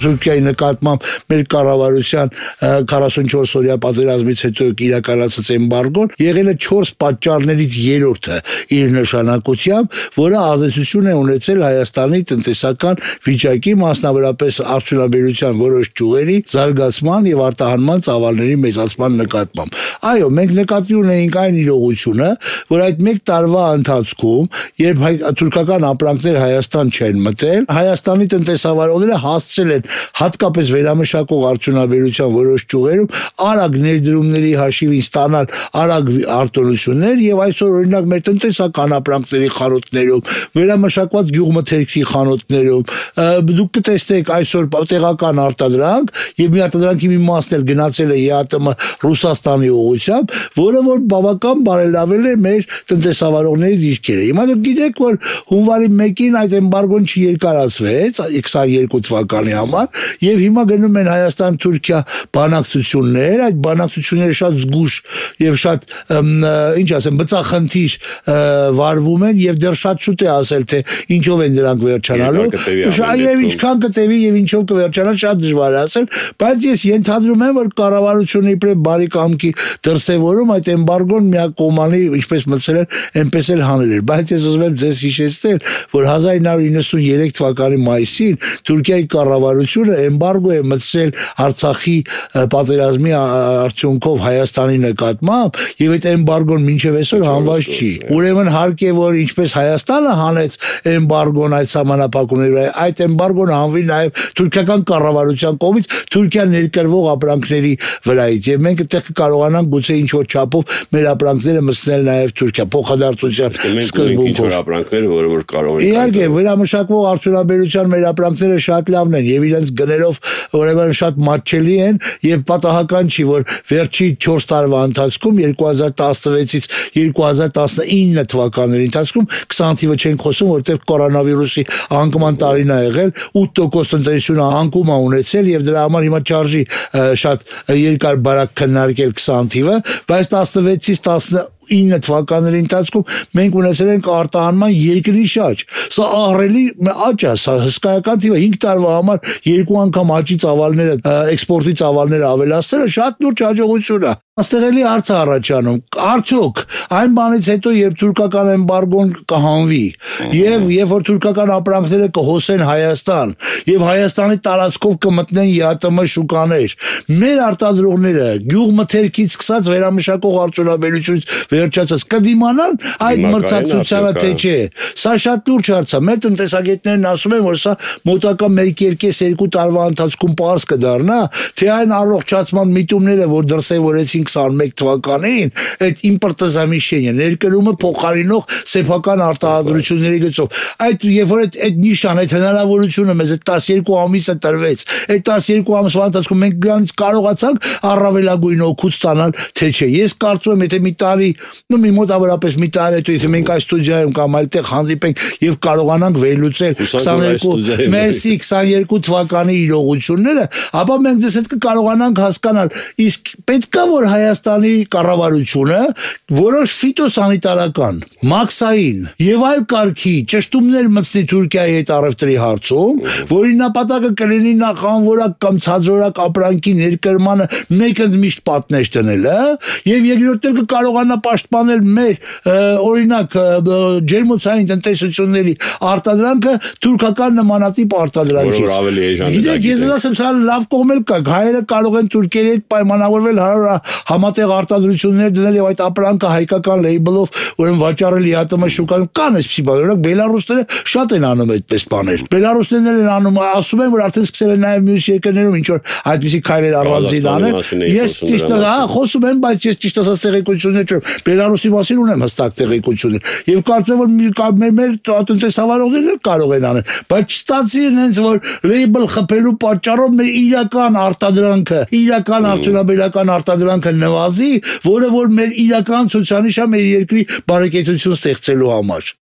Թուրքիայի նկատմամբ մեր կառավարության 44-օրյա պատերազմից հետո իրականացած էմբարգոն եղել է 4 պատճառներից երրորդը իր նշանակությամբ, որը ազդեցություն է ունեցել Հայաստանի տնտեսական վիճակի, մասնավորապես արդյունաբերության որոշ ճյուղերի զարգացման եւ արտահանման ծավալների մեծացման նկատմամբ։ Այո, մենք նկատի ունեինք այն իրողությունը, որ այդ 1 տարվա ընթացքում, երբ թուրքական ապրանքներ Հայաստան չեն մտել, Հայաստանի տնտեսավարողները հասցրել են հատկապես վերամշակող արդյունաբերության որոշ ճյուղերում արագ ներդրումների հաշիվին ստանալ արագ արտոնություններ եւ այսօր օրինակ մեր տնտեսական ապրանքների խանութներում, վերամշակված գյուղմթերքի խանութներում դուք կտեսնեք այսօր տեղական արտադրանք եւ մի արտադրանքի մի մասն էլ գնացել է ԵԱՏՄ Ռուսաստանի ուղղությամբ, որը որ բավական բարելավել է մեր տնտեսավարողների դիրքերը։ Հիմա դուք գիտեք, որ հունվարի 1-ին այդ էմբարգոն չերկարացվեց 22 թվականի համար եւ հիմա գնում են Հայաստան-Թուրքիա բանակցություններ, այդ բանակցությունները շատ զգուշ եւ շատ ինչ ասեմ բծախնդիր վարվում են եւ դեռ շատ շուտ է ասել թե ինչով են դրանք վերջանալու, եւ ինչքան կտևի եւ ինչով կվերջանա շատ դժվար է ասել, բայց ես ենթադրում եմ, որ կառավարությունը իբրև բարի կամքի դրսևորում այդ էմբարգոն միակողմանի ինչպես մտցել էր, այնպես էլ հանել էր, բայց ես ուզում եմ ձեզ հիշեցնել, որ 1993 թվականի մայիսին Թուրքիայի կառավարությունը էմբարգո է մտցրել Արցախի պատերազմի արդյունքով Հայաստանի նկատմամբ եւ այդ էմբարգոն մինչեւ այսօր հանված չի։ Ուրեմն հարկ է որ ինչպես Հայաստանը հանեց էմբարգոն այդ սահմանափակումների, այդ էմբարգոն հանվի նաեւ թուրքական կառավարության կողմից Թուրքիա ներկրվող ապրանքների վրայից եւ մենք այդտեղ կարողանանք գուցե ինչ որ չափով մեր ապրանքները մտցնել նաեւ Թուրքիա փոխադարձության սկզբունքով ապրանքները, որ կարող են։ Իհարկե, վերամշակվող արդյունաբերության մեր ապրանքները շատ լավն են եւ իրենց գներով ուրեմն շատ մատչելի են եւ պատահական չի, որ վերջի 4 տարվա ընթացքում 2016-ից 2019 թվականների ընթացքում 20%-ը չենք խոսում, որտեղ կորոնավիրուսի անկման տարին է եղել, 8% տնտեսությունը անկում է ունեցել եւ դրա համար հիմա չարժի շատ երկար բարակ քննարկել 20%-ը, բայց 16-ից 19 թվականների ընթացքում մենք ունեցել ենք արտահանման երկրի շաջ։ Սա ահռելի աճ է, սա հսկայական թիվ է, 5 տարվա համար 2 անգամ աճի ծավալները, էքսպորտի ծավալները ավելացնելը շատ լուրջ հաջողություն է։ Այստեղ էլի հարց է առաջանում, արդյոք այն բանից հետո երբ թուրքական էմբարգոն կհանվի եւ երբ որ թուրքական ապրանքները կհոսեն Հայաստան եւ Հայաստանի տարածքով կմտնեն ԵԱՏՄ շուկաներ, մեր արտադրողները գյուղմթերքից սկսած վերամշակող արդյունաբերությունից վերջացած կդիմանան այդ մրցակցությանը թե չէ։ Սա շատ լուրջ հարց է։ Մեր տնտեսագետներն ասում են, որ սա մոտակա 1-2 տարվա ընթացքում պարզ կդառնա, թե այն առողջացման միտումները, որ դրսևորեցին 21 թվականին այդ իմպորտազամիշենիա ներկրումը փոխարինող սեփական արտադրությունների գծով այդ երբ որ այդ նիշան այդ հնարավորությունը մեզ այդ 12 ամիսը տրվեց այդ 12 ամսվա ընթացքում մենք դրանից կարողացանք առավելագույն օգուտ ստանալ թե չէ ես կարծում եմ եթե մի տարի մի մոտավորապես մի տարի հետո եթե մենք այս ստուդիայում կամ այլտեղ հանդիպենք եւ կարողանանք վերլուծել 22 թվականի իրողությունները ապա մենք ձեզ հետ կկարողանանք հասկանալ իսկ պետքա որ Հայաստանի կառավարությունը որոշ ֆիտոսանիտարական, մաքսային եւ այլ կարգի ճշտումներ մտցնի Թուրքիայի հետ առևտրի հարցում, որի նպատակը կլինի նախ անորակ կամ ցածրորակ ապրանքի ներկրմանը մեկընդմիշտ պատնեշ դնելը եւ երկրորդը կկարողանա պաշտպանել մեր օրինակ ջերմոցային տնտեսությունների արտադրանքը թուրքական նմանատիպ արտադրանքից։ Գիտեք, ես ասեմ, սա լավ կողմ էլ կա, հայերը կարող են թուրքերի հետ պայմանավորվել համատեղ արտադրություններ դնել եւ այդ ապրանքը հայկական լեյբլով ուրեմն վաճառել ԵԱՏՄ շուկայում կան այսպիսի բաներ, օրինակ բելարուսները շատ են անում այդպես բաներ։ Բելարուսներն են անում, ասում են, որ արդեն սկսել են նաեւ մյուս երկրներում ինչ որ այդպիսի քայլեր առանձին անել։ Ես ճիշտ խոսում եմ, բայց ես ճիշտ ասած տեղեկություններ չունեմ։ Բելարուսի մասին ունեմ հստակ տեղեկություններ եւ կարծում եմ որ մեր տնտեսավարողներն կարող են անել, բայց չստացի հենց որ լեյբլ խփելու պատճառով մեր իրական արտադրանքը, իրական արդյունաբերական արտադրանքը նվազի, որը որ մեր իրական ցուցանիշ է մեր երկրի բարեկեցություն ստեղծելու համար։